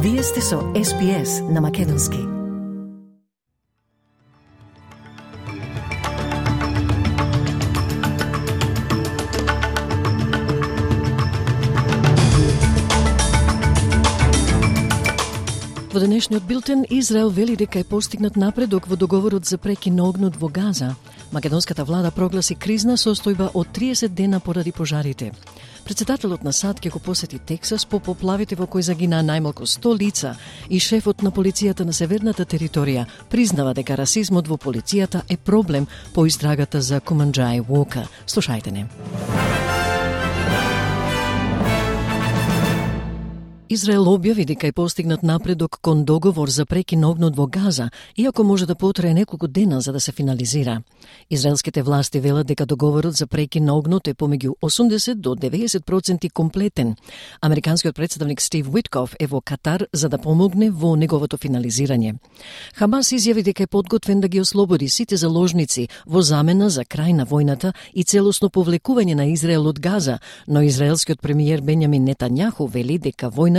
Вие сте со SPS на Македонски. Во денешниот билтен, Израел вели дека е постигнат напредок во договорот за прекин на огнот во Газа. Македонската влада прогласи кризна состојба од 30 дена поради пожарите. Председателот на САД ќе го посети Тексас по поплавите во кои загинаа најмалку 100 лица и шефот на полицијата на северната територија признава дека расизмот во полицијата е проблем по истрагата за Куманџај Уока. Слушајте не. Израел објави дека е постигнат напредок кон договор за прекин на огнот во Газа, иако може да потрае неколку дена за да се финализира. Израелските власти велат дека договорот за прекин на огнот е помеѓу 80 до 90% комплетен. Американскиот представник Стив Уитков е во Катар за да помогне во неговото финализирање. Хамас изјави дека е подготвен да ги ослободи сите заложници во замена за крај на војната и целосно повлекување на Израел од Газа, но израелскиот премиер Бенјамин Нетањаху вели дека војната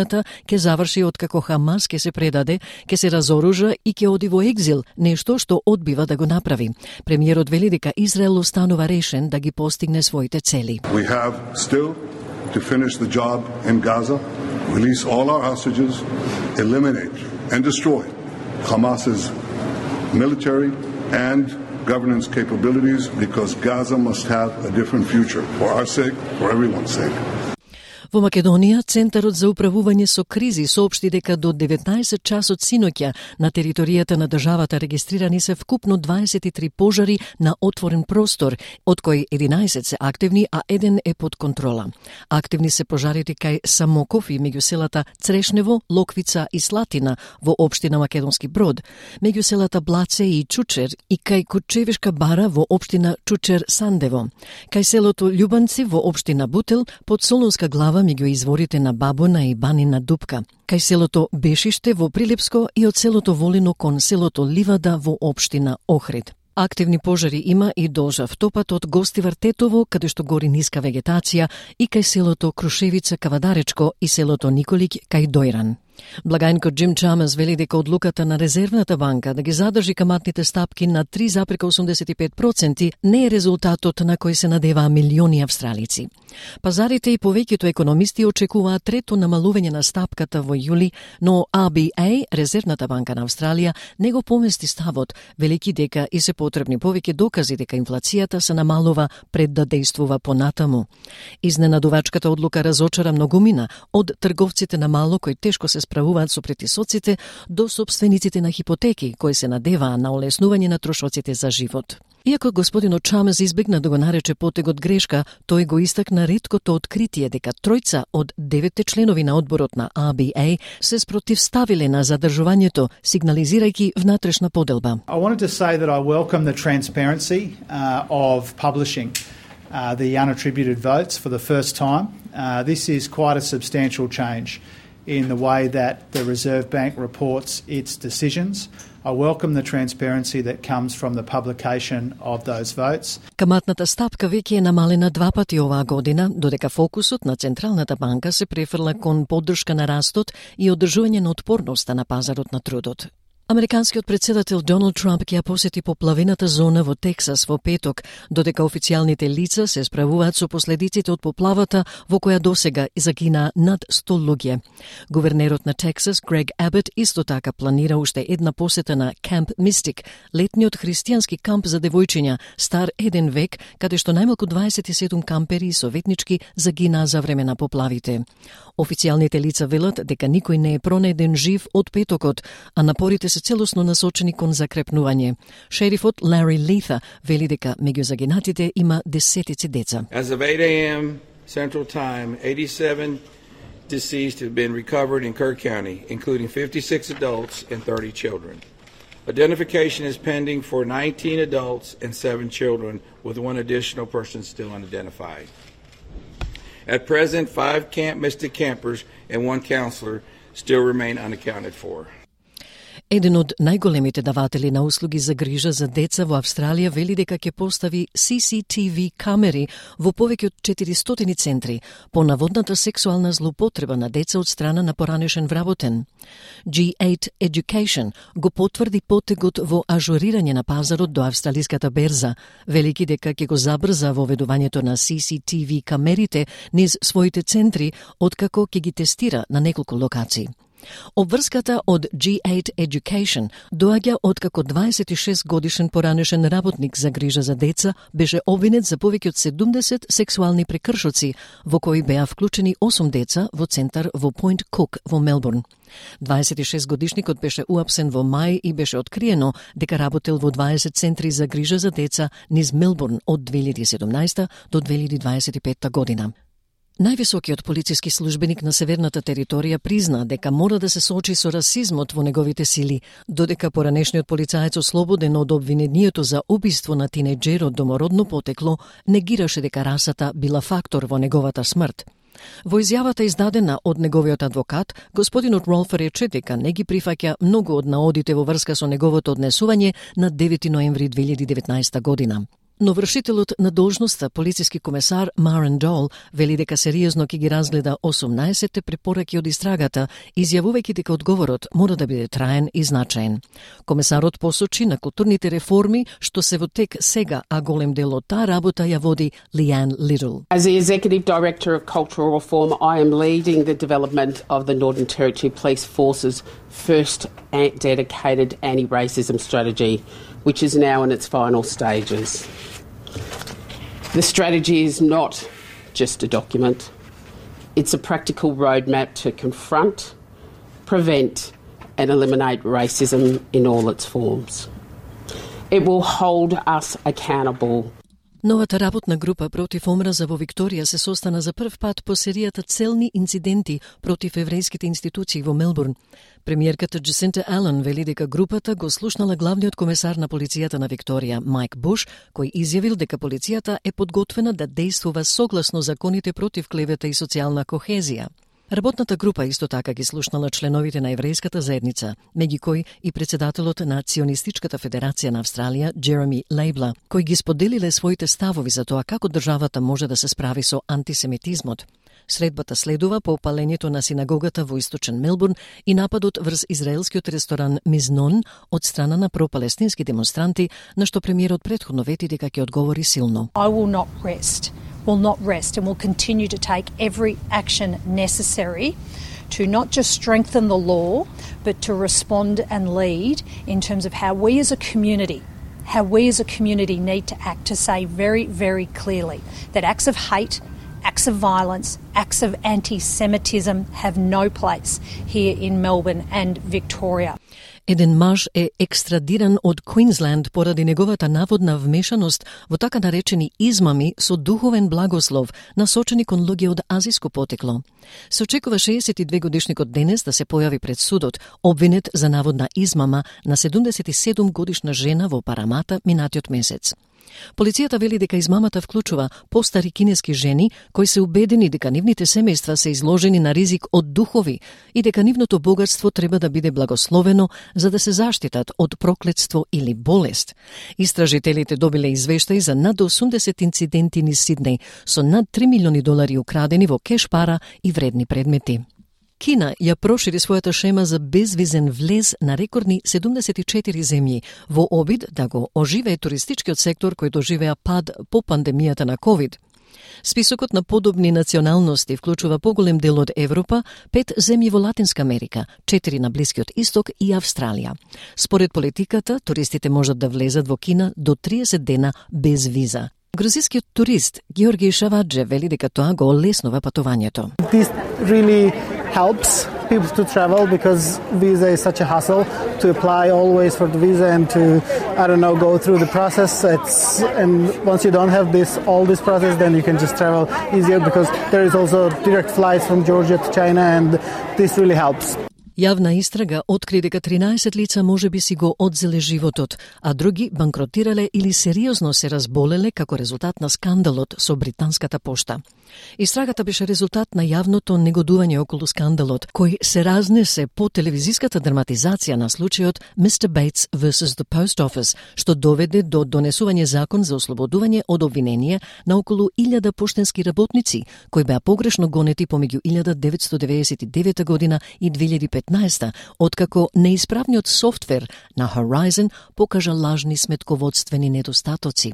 ќе заврши откако Хамас ќе се предаде, ќе се разоружа и ќе оди во екзил, нешто што одбива да го направи. Премиерот вели дека Израел останува решен да ги постигне своите цели. We have still to finish the job in Gaza, release all our hostages, eliminate and destroy Hamas's military and governance capabilities because Gaza must have a different future for our sake, for everyone's sake. Во Македонија, Центарот за управување со кризи соопшти дека до 19 часот синоќа на територијата на државата регистрирани се вкупно 23 пожари на отворен простор, од кои 11 се активни, а 1 е под контрола. Активни се пожарите кај Самоков и меѓу селата Црешнево, Локвица и Слатина во општина Македонски Брод, меѓу селата Блаце и Чучер и кај Кучевишка бара во општина Чучер-Сандево, кај селото Љубанци во општина Бутел, под Солунска глава меѓу изворите на Бабуна и Банина Дупка, кај селото Бешиште во Прилепско и од селото Волино кон селото Ливада во општина Охрид. Активни пожари има и долж автопат од Гостивар Тетово, каде што гори ниска вегетација, и кај селото Крушевица Кавадаречко и селото Николик кај Дојран. Благајникот Джим Чамас вели дека одлуката на Резервната банка да ги задржи каматните стапки на 3,85% не е резултатот на кој се надеваа милиони австралици. Пазарите и повеќето економисти очекуваат трето намалување на стапката во јули, но RBA, Резервната банка на Австралија, не го помести ставот, велики дека и се потребни повеќе докази дека инфлацијата се намалува пред да дејствува понатаму. Изненадувачката одлука разочара многумина, од трговците на мало кои тешко се справуваат со претисоците до собствениците на хипотеки кои се надеваа на олеснување на трошоците за живот. Иако господинот Чамес избегна да го нарече потегот грешка, тој го истакна реткото откритие дека тројца од 9 членови на одборот на RBA се спротивставиле на задржувањето, сигнализирајќи внатрешна поделба. I wanted to say that I welcome the transparency of publishing the unattributed votes for the first time. This is quite a substantial change in the way that the Reserve Bank reports its decisions. I welcome the transparency that comes from the publication of those votes. Каматната стапка веќе е намалена 2 пати оваа година, додека фокусот на Централната банка се префрла кон поддршка на растот и одржување на отпорноста на пазарот на трудот. Американскиот председател Доналд Трамп ќе ја посети поплавената зона во Тексас во петок, додека официјалните лица се справуваат со последиците од поплавата во која досега загина над 100 луѓе. Гувернерот на Тексас, Грег Абот, исто така планира уште една посета на Камп Мистик, летниот христијански камп за девојчиња, стар 1 век, каде што најмалку 27 кампери и советнички загинаа за време на поплавите. Официјалните лица велат дека никој не е пронајден жив од петокот, а напорите се целосно насочени кон закрепнување. Шерифот Лари Лита вели дека меѓу загинатите има десетици деца. As of 8 a.m. Central Time, 87 deceased have been recovered in Kirk County, including 56 adults and 30 children. Identification is pending for 19 adults and 7 children, with 1 additional person still unidentified. At present, 5 Camp Mystic campers and 1 counselor still remain unaccounted for. Еден од најголемите даватели на услуги за грижа за деца во Австралија вели дека ќе постави CCTV камери во повеќе од 400 центри по наводната сексуална злоупотреба на деца од страна на поранешен вработен. G8 Education го потврди потегот во ажурирање на пазарот до австралиската берза, велики дека ќе го забрза воведувањето на CCTV камерите низ своите центри, откако ќе ги тестира на неколку локации. Обврската од G8 Education доаѓа откако 26 годишен поранешен работник за грижа за деца беше обвинет за повеќе од 70 сексуални прекршоци, во кои беа вклучени 8 деца во центар во Point Cook во Мелбурн. 26 годишникот беше уапсен во мај и беше откриено дека работел во 20 центри за грижа за деца низ Мелбурн од 2017 до 2025 година. Највисокиот полициски службеник на северната територија призна дека мора да се соочи со расизмот во неговите сили, додека поранешниот полицаец ослободен од обвинението за убиство на тинејџер од домородно потекло негираше дека расата била фактор во неговата смрт. Во изјавата издадена од неговиот адвокат, господинот Ролфер рече дека не ги прифаќа многу од наодите во врска со неговото однесување на 9 ноември 2019 година. Но вршителот на должноста, полициски комесар Марен Дол, вели дека сериозно ќе ги разгледа 18 препораки од истрагата, изјавувајќи дека одговорот мора да биде траен и значаен. Комесарот посочи на културните реформи што се во тек сега, а голем дел од таа работа ја води Leanne Little. As the Executive Director of Cultural Reform, I am leading the development of the Northern Territory Police Force's first dedicated anti-racism strategy, which is now in its final stages. The strategy is not just a document. It's a practical roadmap to confront, prevent and eliminate racism in all its forms. It will hold us accountable. Новата работна група против омраза во Викторија се состана за прв пат по серијата целни инциденти против еврејските институции во Мелбурн. Премиерката Джасинта Ален вели дека групата го слушнала главниот комесар на полицијата на Викторија, Майк Буш, кој изјавил дека полицијата е подготвена да действува согласно законите против клевета и социјална кохезија. Работната група исто така ги слушнала членовите на еврејската заедница, меѓу кои и председателот на Ционистичката федерација на Австралија, Джереми Лейбла, кои ги споделиле своите ставови за тоа како државата може да се справи со антисемитизмот. Средбата следува по опалењето на синагогата во источен Мелбурн и нападот врз израелскиот ресторан Мизнон од страна на пропалестински демонстранти, на што премиерот претходно вети дека ќе одговори силно. I will not rest and will continue to take every action necessary to not just strengthen the law, but to respond and lead in terms of how we as a community need to act to say very, very clearly that acts of hate, acts of violence, acts of anti-Semitism have no place here in Melbourne and Victoria. Еден маж е екстрадиран од Квинсленд поради неговата наводна вмешаност во така наречени измами со духовен благослов, насочени кон луѓе од азиско потекло. Се очекува 62 годишникот денес да се појави пред судот, обвинет за наводна измама на 77 годишна жена во Парамата минатиот месец. Полицијата вели дека измамата вклучува постари кинески жени кои се убедени дека нивните семејства се изложени на ризик од духови и дека нивното богатство треба да биде благословено за да се заштитат од проклетство или болест. Истражителите добиле извештаи за над 80 инциденти низ Сиднеј со над $3 милиони украдени во кеш пара и вредни предмети. Кина ја прошири својата шема за безвизен влез на рекордни 74 земји во обид да го оживее туристичкиот сектор кој доживеа пад по пандемијата на COVID. Списокот на подобни националности вклучува поголем дел од Европа, 5 земји во Латинска Америка, 4 на Блискиот Исток и Австралија. Според политиката, туристите можат да влезат во Кина до 30 дена без виза. Грузискиот турист Георги Шавадже вели дека тоа го олеснува патувањето. This really helps people to travel because visa is such a hassle to apply always for the visa and to, go through the process. And once you don't have all this process, then you can just travel easier because there is also direct flights from Georgia to China and this really helps. Јавна истрага откри дека 13 лица можеби си го одзеле животот, а други банкротирале или сериозно се разболеле како резултат на скандалот со британската пошта. Истрагата беше резултат на јавното негодување околу скандалот, кој се разнесе по телевизиската драматизација на случајот Mr. Bates vs. The Post Office, што доведе до донесување закон за ослободување од обвинение на околу 1000 поштенски работници, кои беа погрешно гонети помеѓу 1999 година и 2015, откако неисправниот софтвер на Horizon покажа лажни сметководствени недостатоци.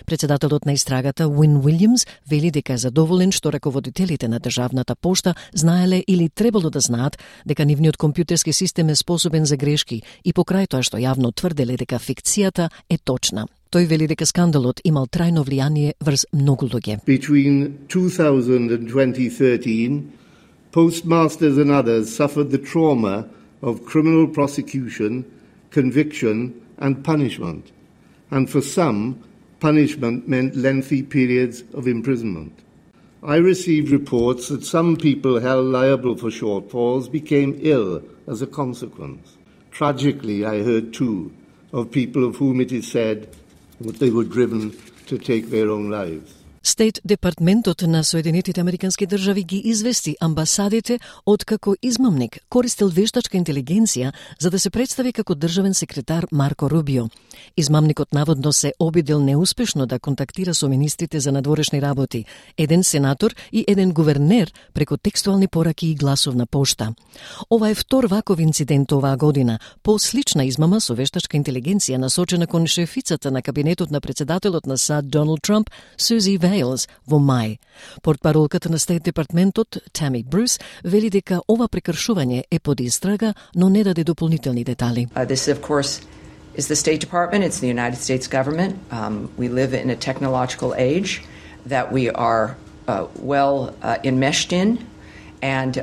Председателот на истрагата Уин Уилјамс вели дека е задоволен што раководителите на државната пошта знаеле или требало да знаат дека нивниот компјутерски систем е способен за грешки и покрај тоа што јавно тврделе дека фикцијата е точна. Тој вели дека скандалот имал трајно влијание врз многу луѓе. Between 2000 and 2013, postmasters and others suffered the trauma of criminal prosecution, conviction and punishment. And for some, punishment meant lengthy periods of imprisonment. I received reports that some people held liable for shortfalls became ill as a consequence. Tragically, I heard too of people of whom it is said that they were driven to take their own lives. Стейт департментот на Соединетите Американски држави ги извести амбасадите откако измамник користел вештачка интелигенција за да се представи како државен секретар Марко Рубио. Измамникот наводно се обидел неуспешно да контактира со министрите за надворешни работи, еден сенатор и еден гувернер преку текстуални пораки и гласовна пошта. Ова е втор ваков инцидент оваа година, по слична измама со вештачка интелигенција насочена кон шефицата на кабинетот на председателот на САД Доналд Трамп, Сузи Вейлс, во мај. Портпаролката на Стейт департментот, Тами Брус, вели дека ова прекршување е под истрага, но не даде дополнителни детали. This, of course, is the State Department. It's the United States government. We live in a technological age that we are well enmeshed in, and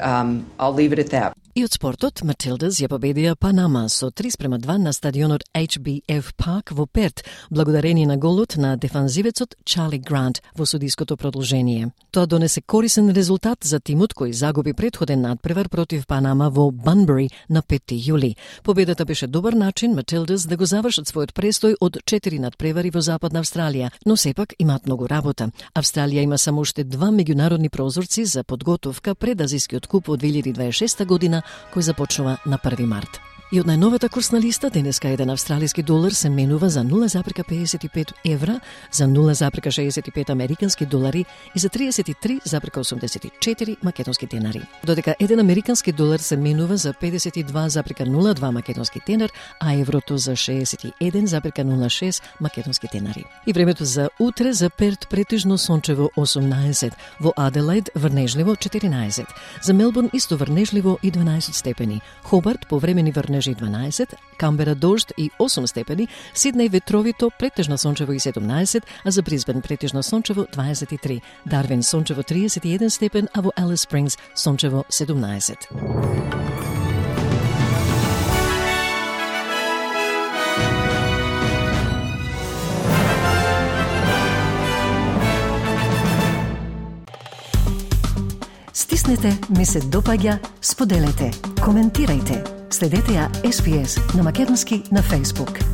I'll leave it at that. И од спортот, Матилдас ја победија Панама со 3:2 на стадионот HBF Park во Перт, благодарение на голот на дефанзивецот Чарли Грант во судиското продолжение. Тоа донесе корисен резултат за тимот кој загуби претходен надпревар против Панама во Банбери на 5 јули. Победата беше добар начин Матилдас да го завршат својот престој од 4 надпревари во Западна Австралија, но сепак имаат многу работа. Австралија има само уште 2 меѓународни прозорци за подготовка пред Азискиот куп од 2026 година, кој започнува на 1 март. И од најновата курсна листа, денеска еден австралиски долар се менува за 0,55 евра, за 0,65 американски долари и за 33,84 македонски денари. Додека еден американски долар се менува за 52,02 македонски денар, а еврото за 61,06 македонски денари. И времето за утре: за Перт претежно сончево 18, во Аделаид врнежливо 14, за Мелбурн исто врнежливо и 12 степени, Хобарт повремени врнежливо 12, Камбера дожд и 8 степени, Сиднеј ветровито претежно сончево и 17, а за Брисбен претежно сончево 23, Дарвин сончево 31 степен, а во Алис Спрингс сончево 17. Стиснете, ми се допаѓа, споделете, коментирајте. Следете ја SPS на македонски на Facebook.